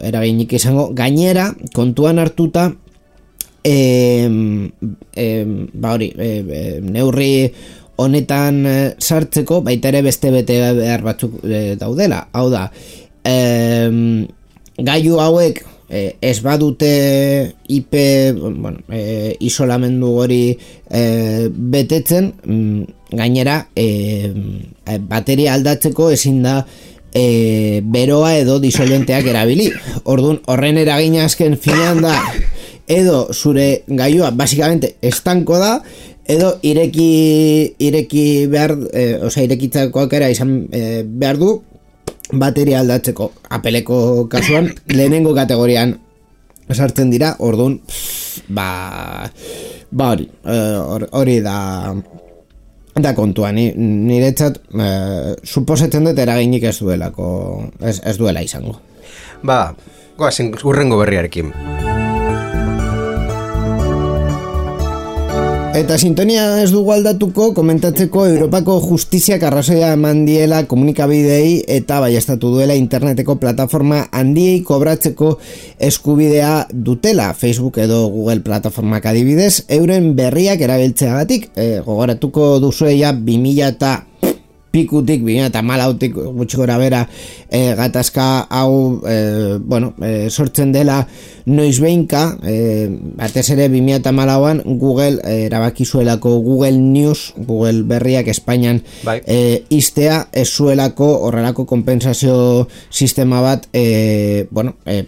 eraginik izango, gainera kontuan hartuta e, e, ba hori e, e, neurri honetan e, sartzeko baita ere beste bete behar batzuk e, daudela, hau da e, gailu hauek E, ez badute I P bueno, e, isolamendu hori e, betetzen, mm, gainera e, bateria aldatzeko ezin da e, beroa edo disolventeak erabili. Orduan, horren eragina azken finean da, edo zure gailua basikamente estanko da, edo ireki ireki behar, eh, osea irekitzeko aukera izan eh, behar du bateria aldatzeko. Apeleko kasuan lehenengo kategorian sartzen dira. Orduan, ba ba hori, hori da da kontua. Ni niretzat eh, suposatzen dut eraginik ez duelako ez, ez duela izango. Ba, goazen urrengo berriarekin. Eta sintonia ez dugu aldatuko komentatzeko Europako justiziak arrazoia eman diela komunikabidei eta baiestatu duela interneteko plataforma handiei kobratzeko eskubidea dutela. Facebook edo Google plataformak adibidez, euren berriak erabiltzeagatik. E, gogoratuko duzueia bi mila eta pikutik, bi mila eta hamalautik gutxi gora bera e, gatazka hau e, bueno, e, sortzen dela noizbeinka, e, batez ere bi mila eta hamalauan Google e, erabaki zuelako Google News, Google berriak Espainian bai. e, iztea ez zuelako horrelako konpentsazio sistema bat e, bueno, e,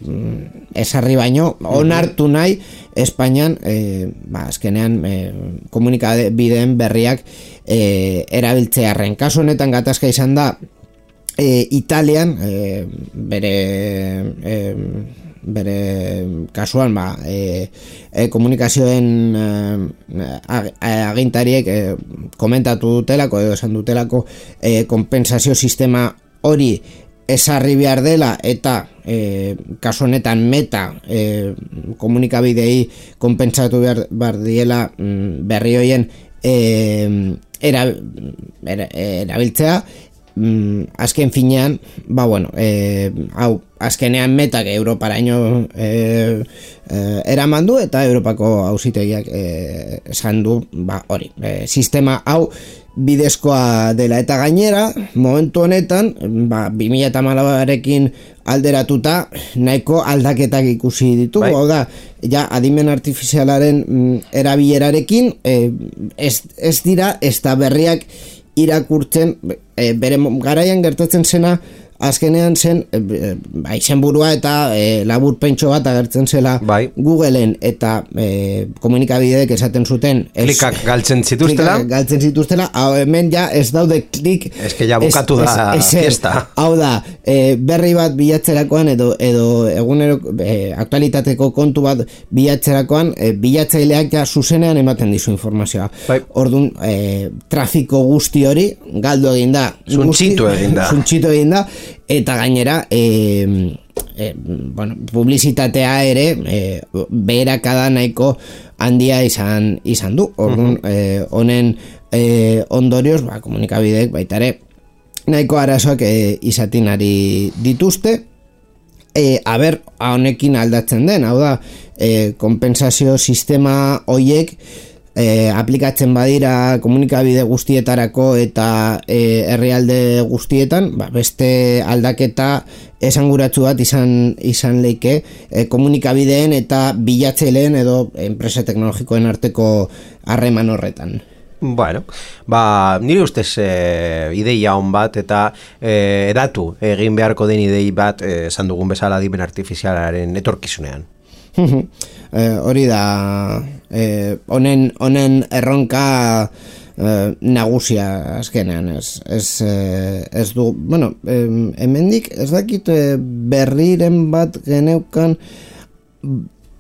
esarri baino onartu nahi Espainian e, ba, azkenean e, komunikabideen berriak e, erabiltzearren. Kasu honetan gatazka izan da e, Italian e, bere e, bere kasuan ba, e, e, komunikazioen e, agintariek e, komentatu dutelako edo esan dutelako e, konpentsazio sistema hori esarri behar dela eta e, kasu honetan Meta e, komunikabidei konpentsatu behar, behar diela mm, berri hoien e, era, era, erabiltzea. Mm, azken finean, ba bueno, e, hau, azkenean Metak Europaraino e, e, eraman du eta Europako auzitegiak e, esan du, ba hori, e, sistema hau bidezkoa dela eta gainera, momentu honetan, ba, bi mila eta hamalauarekin alderatuta nahiko aldaketak ikusi ditugu, hau da, ja adimen artifizialaren mm, erabilerarekin e, ez, ez dira, ez da berriak irakurtzen, e, bere garaian gertatzen zena azkenean zen e, ba, izenburua eta e, laburpentxo bat agertzen zela bai. Googleen eta e, komunikabideek esaten zuten ez, klikak galtzen zituztela klikak galtzen zituztela, hau hemen ja ez daude klik ez que ja bukatu ez, da ez, ez, fiesta hau da, e, berri bat bilatzerakoan edo, edo egunero e, aktualitateko kontu bat bilatzerakoan e, bilatzaileak ja zuzenean ematen dizu informazioa bai. Orduan e, trafiko guzti hori galdu egin da zuntxitu egin da zuntxitu egin da eta gainera e, e, bueno, publizitatea ere e, beherakada nahiko handia izan izan du. Orduan honen uh-huh. e, ondorioz ba, komunikabideek baita ere nahiko arazoak e, izatin ari dituzte. E, aber honekin aldatzen den, hau da e, konpentsazio sistema hoiek E, aplikatzen badira komunikabide guztietarako eta e, herrialde guztietan, ba, beste aldaketa esanguratsu bat izan izan leike e, komunikabideen eta bilatzaileen edo enpresa teknologikoen arteko harreman horretan. Bueno, ba, nire ustez e, ideia on bat eta e, edatu egin beharko den idei bat esan dugun bezala adimen artifizialaren etorkizunean. Eh, hori da honen eh, honen erronka eh, nagusia azkenean ez, ez, eh, ez du, bueno eh, hemendik ez dakit eh, berriren bat geneukan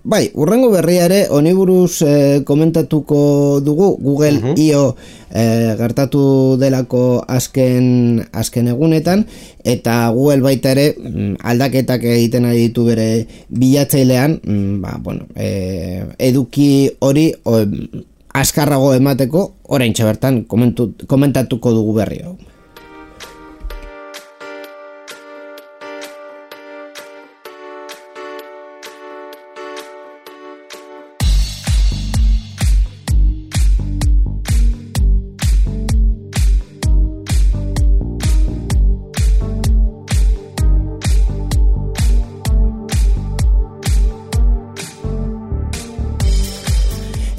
bai, urrengo berriare honi buruz eh, komentatuko dugu Google uh-huh. I O eh, gertatu delako azken azken egunetan eta Google baita ere aldaketak egiten ari ditu bere bilatzailean, ba, bueno, eh, eduki hori o, azkarrago emateko oraintxe bertan komentu, komentatuko dugu berri hau.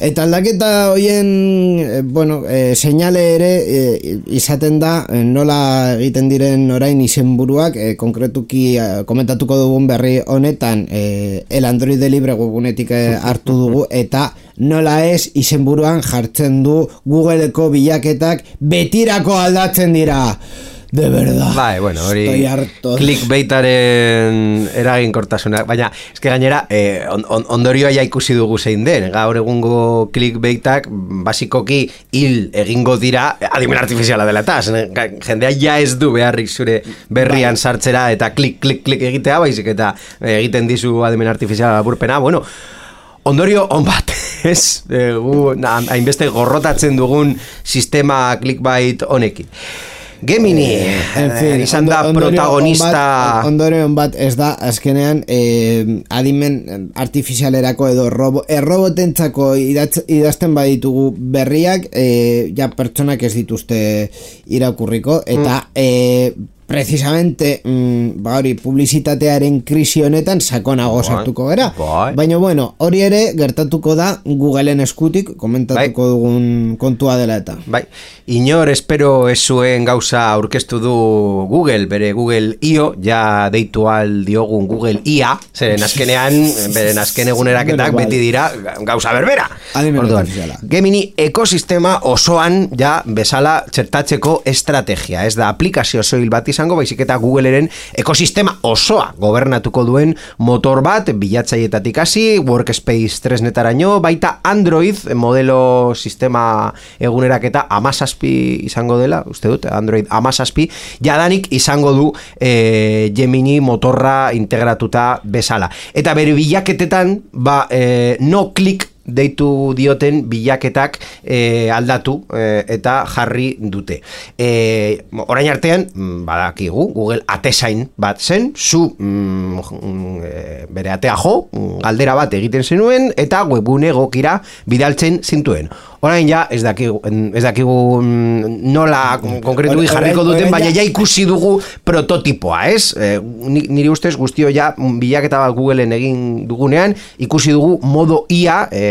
Eta aldaketa hoien, eh, bueno, eh, seinale ere eh, izaten da eh, nola egiten diren orain izenburuak, eh, konkretuki eh, komentatuko dugun berri honetan eh, el Android Libre webgunetik eh, hartu dugu, eta nola ez izenburuan jartzen du Googleko bilaketak betirako aldatzen dira. De verdad. Bai, bueno, hori clickbaitaren eraginkortasuna, baina eske gainera eh, on, on, ondorioa ja ikusi dugu zein den. Gaur egungo clickbaitak basikoki hil egingo dira adimen artifiziala dela eta jendea ja ez du beharrik zure berrian sartzera eta klik, klik, klik egitea, baizik eta egiten dizu adimen artifiziala burpena, bueno, ondorio on bat, ez? E, gu, na, hainbeste gorrotatzen dugun sistema clickbait honekin. Gemini, en fin, izan da protagonista. Ondoren bat ez da, azkenean eh, adimen artifizialerako edo robo, errobotentzako idazten baditugu berriak, eh, ja pertsonak ez dituzte irakurriko, eta mm. eh, precisamente mm, ba hori publizitatearen krisi honetan sakonago sartuko gara. Baina bueno, hori ere gertatuko da Googleen eskutik komentatuko bai. dugun kontua dela eta. Bai. Inor espero ez zuen gauza aurkeztu du Google, bere Google I O, ja deitu al diogun Google I A, zeren azkenean, beren azken eguneraketak beti dira gauza berbera. Orduan, Gemini ekosistema osoan ja bezala txertatzeko estrategia, ez da aplikazio soil bat izango, baizik eta Googleren ekosistema osoa gobernatuko duen motor bat, bilatzaietatik hasi, Workspace tresnetaraino, baita Android modelo sistema eguneraketa amazazpi izango dela, uste dut, Android amazazpi, jadanik izango du e, Gemini motorra integratuta bezala. Eta bere bilaketetan, ba, e, no click deitu dioten bilaketak e, aldatu e, eta jarri dute. E, orain artean, badakigu, Google atezain bat zen, zu mm, e, bere atea jo, galdera bat egiten zenuen, eta webgune egokira bidaltzen zintuen. Orain ja, ez dakigu, ez dakigu nola konkretu jarriko duten, baina ja ikusi dugu prototipoa, ez? E, niri ustez guztio ja bilaketa bat Googleen egin dugunean, ikusi dugu modo I A e,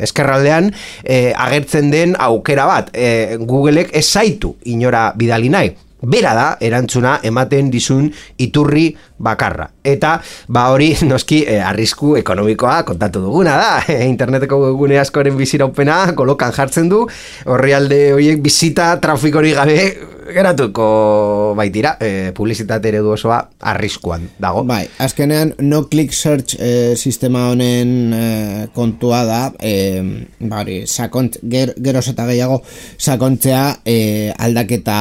eskerraldean e, agertzen den aukera bat. E, Googleek ez zaitu inora bidali nahi. Bera da, erantzuna ematen dizun iturri bakarra. Eta, ba hori, noski, eh, arrisku ekonomikoa kontatu duguna da. Eh, interneteko gune askoren biziraupena kolokan jartzen du, orrialde horiek bizita trafikorik gabe geratuko baitira, eh, publizitate eredu osoa arriskuan dago. Bai, azkenean no click search eh, sistema honen eh, kontua da, eh, bari, sakont, ger, geroz eta gehiago sakontzea eh, aldaketa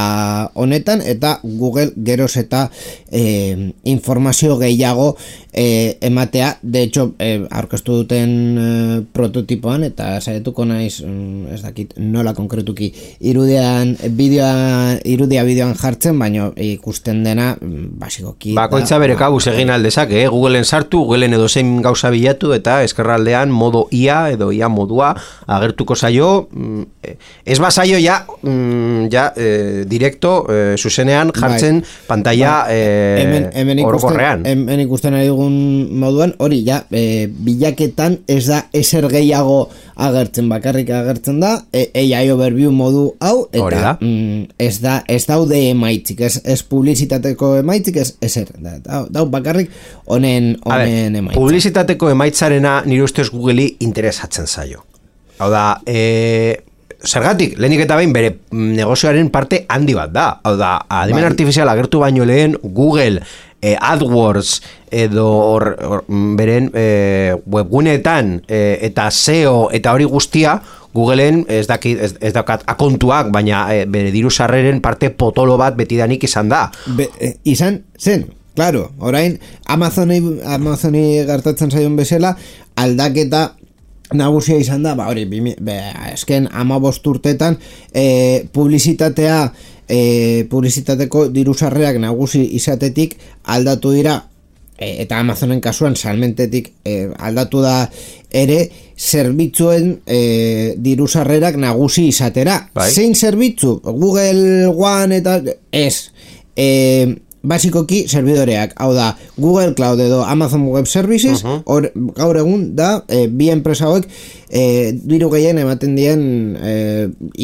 honetan, eta Google geroz eta eh, informazio gehiago eh, ematea, de hecho eh, aurkeztu duten eh, prototipoan, eta saietuko naiz, mm, ez dakit nola konkretuki irudian, bideoan irudia bideoan jartzen, baina ikusten dena basikoki bakoitza bere kabuz egin aldezake, eh? Googleen sartu, Googleen edo zein gauza bilatu, eta eskerraldean modo I A edo I A modua agertuko zaio, ez bazaio ja, ja eh, direkto eh, zuzenean jartzen bai. Pantalla eh, hemen, hemen orokorrean. Hemen ikusten ari dugun moduan, hori ja, eh, bilaketan ez da ezer gehiago agertzen, bakarrik agertzen da e, A I overview modu hau, eta mm, ez da ez daude emaitzik, ez, ez publizitateko emaitzik, ez ezer, da, da, da bakarrik honen honen emaitzik. Publizitateko emaitzarena nire ustez Googleri interesatzen zaio. Hau da, e, zergatik, lehenik eta behin bere negozioaren parte handi bat da. Hau da, adimen bai. Artifizial agertu baino lehen Google e, AdWords edo or, or, beren e, webguneetan e, eta S E O eta hori guztia Googleen ez dakit ez, ez dakat akontuak, baina e, bere diru sarreren parte potolo bat betidanik izan da. Be, e, izan zen, claro, orain Amazoni Amazoni gertatzen zaion bezala aldaketa nagusia izan da, ba hori, esken hamabost urtetan e, publizitatea e, publizitateko diru sarrerak nagusi izatetik aldatu dira, e, eta Amazonen kasuan salmentetik e, aldatu da ere zerbitzuen e, diru sarrerak nagusi izatera. Bai. Zein zerbitzu? Google One eta ez. E, basikoki serbidoreak, hau da, Google Cloud edo Amazon Web Services, uh-huh. or, gaur egun da, e, bi enpresa hauek e, diru gehien ematen dien e,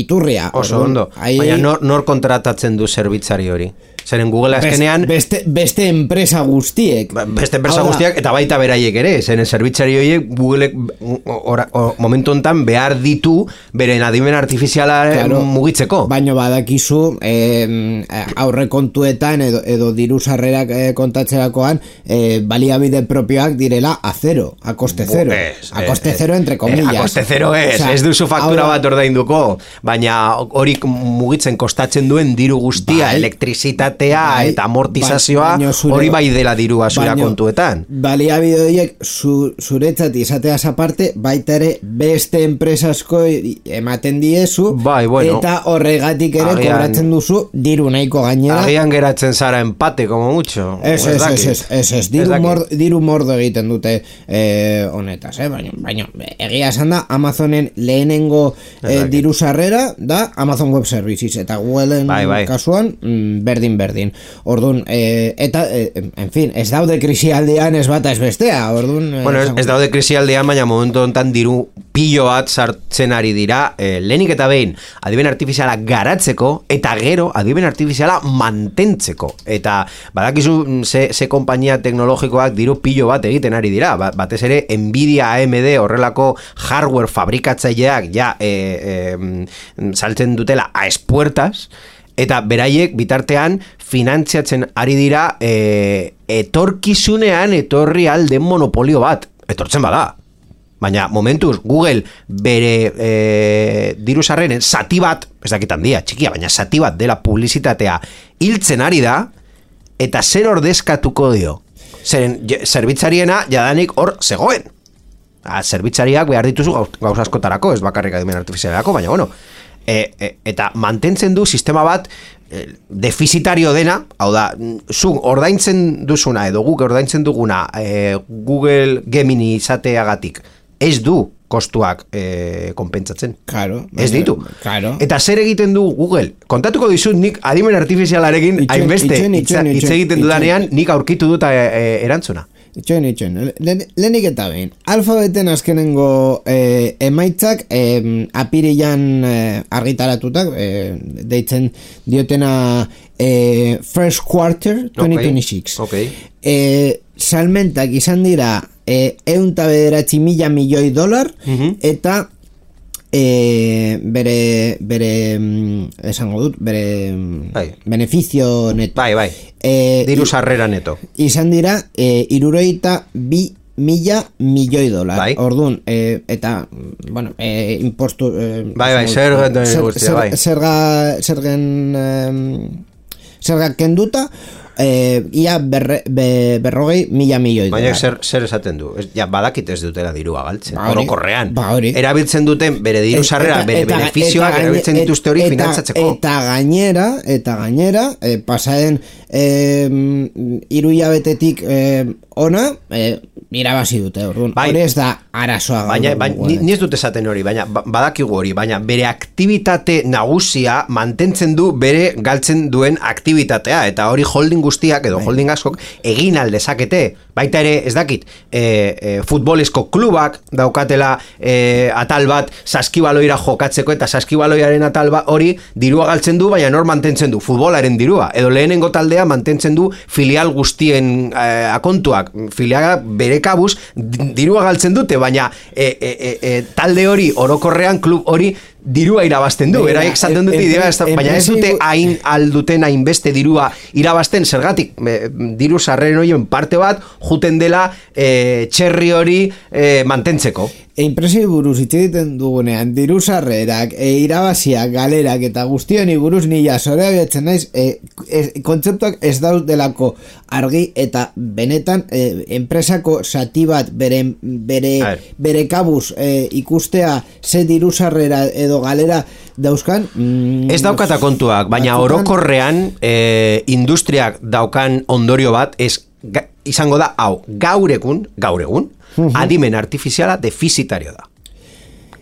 iturria. Oso Orduan, ondo, hai... baina nor, nor kontratatzen du zerbitzari hori? Zeren Google azkenean... Beste, beste enpresa guztiek. Beste enpresa guztiak, eta baita beraiek ere, zeren zerbitzari horiek Googleek momentu hontan behar ditu beren adimen artifiziala claro, mugitzeko. Baina badakizu eh, aurrekontuetan edo, edo diru sarrerak eh, kontatzerakoan eh, baliabide propioak direla a cero, a coste cero. Es, a coste es, cero entre comillas. A coste cero es, o sea, ez duzu faktura ahora, bat ordainduko, baina hori mugitzen kostatzen duen diru guztia, bai, elektrizitate bai, eta amortizazioa hori bai dela dirua zura kontuetan. Baliabide horiek zu, zuretzat izateaz aparte baita ere beste enpresasko ematen diezu bai, bueno, eta horregatik ere agian, kobratzen duzu diru nahiko gainera. Agian geratzen zara empate, como mucho. Ez, ez, ez, ez, ez, ez, diru, mord, diru mordo egiten dute eh, honetaz, eh? baina, baina egia esan da Amazonen lehenengo eh, diru sarrera da Amazon Web Services eta Googleen bai, bai. kasuan mm, berdin berdin. Orduan, eh, eta, eh, en fin, ez daude krisialdean ez bata ez bestea. Orduan, eh, bueno, ez, ez daude krisialdean, baina momentu hontan diru pilo bat sartzen ari dira, eh, lehenik eta behin, adiben artifiziala garatzeko, eta gero, adiben artifiziala mantentzeko. Eta, badakizu, ze, ze kompainia teknologikoak diru pilo bat egiten ari dira. Ba, batez ere, Nvidia, A M D, horrelako hardware fabrikatzaileak, ja, eh, eh, saltzen dutela a espuertas, eta beraiek bitartean finantziatzen ari dira e, etorkizunean etorri alden monopolio bat. Etortzen bada. Baina momentuz Google bere e, diru sarreren zati bat, ez dakit handia, txikia, baina zati bat dela publizitatea hiltzen ari da, eta zer ordezkatuko dio. Zeren, zerbitzariena jadanik hor zegoen. A, zerbitzariak behar dituzu gauz askotarako, ez bakarrik adimen artifizialerako, baina bueno, E, e, eta mantentzen du sistema bat e, defizitario dena, hau da, zu ordaintzen duzuna edo guk ordaintzen duguna e, Google Gemini izateagatik ez du kostuak e, konpentsatzen. Claro, ez ditu. Claro. Eta zer egiten du Google? Kontatuko dizut nik adimen artifizialarekin hainbeste hitz egiten dudanean nik aurkitu dut e, e, erantzuna. Itxoen, itxoen, lehenik eta behin alfabeten azkenengo eh, emaitzak eh, apirilan eh, argitaratutak eh, deitzen diotena eh, first quarter twenty twenty-six okay. eh, salmentak izan dira eh, eunta bederatzi mila milioi dolar uh-huh. eta E, bere bere esango dut bere bai. Beneficio neto bai, bai. E, diru sarrera neto izan dira e, irurogeita bi mila milioi dolar bai. Orduan e, eta bueno e, impostu e, bai bai zerga zer, zerga zergen zerga kenduta Eh, ia berre, be, berrogei mila milioi dolar. Baina zer, zer esaten du? Ez, ja, badakit ez dutela dirua galtzen. Ba, orokorrean. Ba, erabiltzen duten bere diru sarrera, bere benefizioak erabiltzen dituzte hori finantzatzeko. Eta gainera, eta gainera, eh, pasaden eh, iruilabetetik eh, ona, eh, irabazi dute. Orduan, bai, hori ez da arazoa. Baina, baina ni, ni ez dut esaten hori, baina badakigu hori, baina bere aktivitate nagusia mantentzen du bere galtzen duen aktibitatea, eta hori holding guztiak edo holding askok egin aldezakete, baita ere ez dakit e, e, futbolesko klubak daukatela e, atal bat saskibaloira jokatzeko eta saskibaloiaren atal bat hori dirua galtzen du, baina nor mantentzen du futbolaren dirua, edo lehenengo taldea mantentzen du filial guztien e, akontuak, filiala bere kabuz dirua galtzen dute, baina e, e, e, e, talde hori orokorrean klub hori dirua irabazten du, beraiek zaten dute idea, baina ez dute hain alduten hainbeste dirua irabazten, zergatik diru sarreren horien parte bat juten dela e, txerri hori e, mantentzeko. Impresio buruz hitz egiten dugunean diru sarrerak, e, irabaziak, galerak eta guztioni buruz nila zorea behatzen naiz, e, e, kontzeptuak ez daudelako argi eta benetan e, enpresako zati bat bere, bere, bere kabuz e, ikustea ze diru sarrera edo galera dauzkan mm, ez daukata kontuak, baina orokorrean e, industriak daukan ondorio bat ez, ga, izango da hau, gaur egun gaur egun, adimen artifiziala defizitario da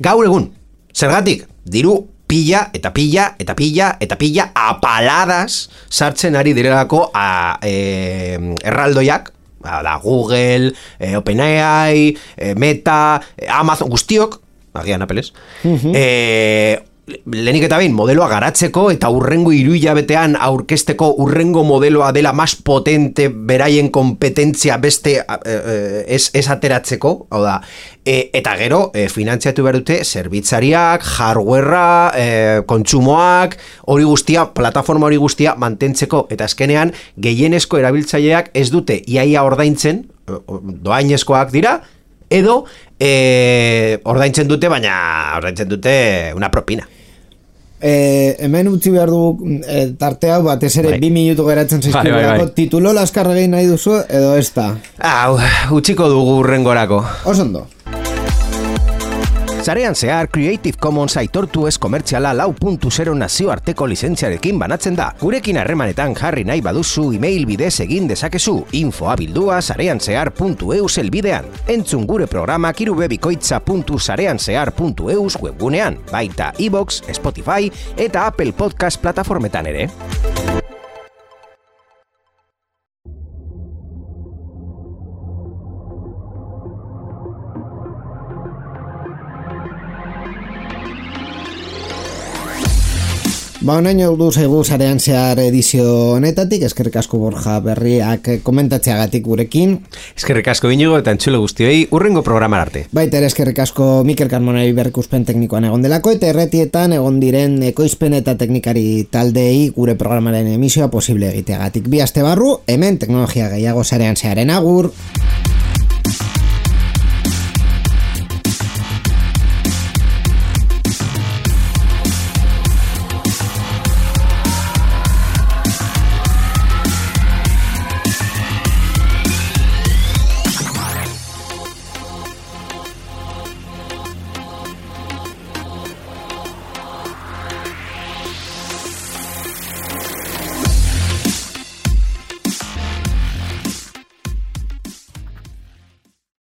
gaur egun, zergatik diru pila, eta pila, eta pila, eta pila, apaladas sartzen ari direlako a, e, erraldoiak, da Google, e, OpenAI, e, Meta, e, Amazon, guztiok, agian Apples, uh-huh. e, lehenik eta behin modeloa garatzeko eta urrengo hiruhilabetean aurkezteko urrengo modeloa dela mas potente beraien kompetentzia beste eh, ez, ez ateratzeko, hau da, e, eta gero e, finantziatu behar dute zerbitzariak, hardwarea, e, kontsumoak, hori guztia, plataforma hori guztia mantentzeko, eta azkenean gehienezko erabiltzaileak ez dute iaia ordaintzen, doainezkoak dira, edo e, ordaintzen dute, baina ordaintzen dute una propina. E, hemen utzi behar du e, tarte hau batez ere bai. bi minutu geratzen zaizkigu bai, bai, bai. Titulo laskar egin nahi duzu edo ez da? Hau, utziko dugu urrengorako. Osondo. Sarean zehar Creative Commons aitortu ez komertziala lau puntu zero nazioarteko lizentziarekin banatzen da. Gurekin harremanetan jarri nahi baduzu email bidez egin dezakezu infoa bildua sareanzehar puntu eus elbidean. Entzun gure programak irubebikoitza puntu sareanzehar puntu eus webgunean, baita iVoox, Spotify eta Apple Podcast plataformetan ere. Ba, honain heldu zaigu Sarean Zehar edizio honetatik, eskerrik asko Borja Berriak komentatzeagatik gurekin. Eskerrik asko Inigo eta entzule guztioi urrengo programar arte. Baita ere eskerrik asko Mikel Carmonari berrikuspen teknikoan egon delako, eta erretietan egon diren ekoizpen eta teknikari taldeei gure programaren emisioa posible egiteagatik. Bi aste barru, hemen teknologia gehiago Sarean Zeharen agur.